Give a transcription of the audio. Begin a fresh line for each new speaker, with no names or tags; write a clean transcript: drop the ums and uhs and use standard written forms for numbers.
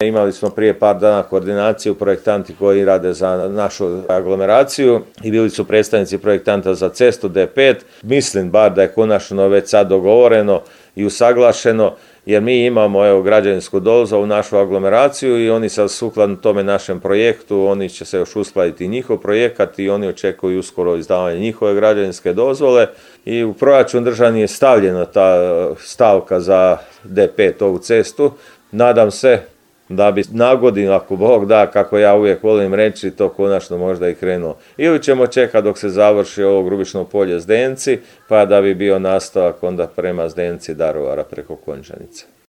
Imali smo prije par dana koordinaciju projektanti koji rade za našu aglomeraciju i bili su predstavnici projektanta za cestu D5. Mislim bar da je konačno već sad dogovoreno i usaglašeno, jer mi imamo građevinsku dozvolu u našu aglomeraciju i oni sad sukladno tome našem projektu, oni će se još uskladiti njihov projekat i oni očekuju uskoro izdavanje njihove građevinske dozvole i u proračun državni je stavljena ta stavka za D5 ovu cestu. Nadam se da bi na godinu, ako Bog da, kako ja uvijek volim reći, to konačno možda i krenulo. Ili ćemo čekati dok se završi ovo Grubišno polje Zdenci, pa da bi bio nastavak onda prema Zdenci Daruvara preko Končanice.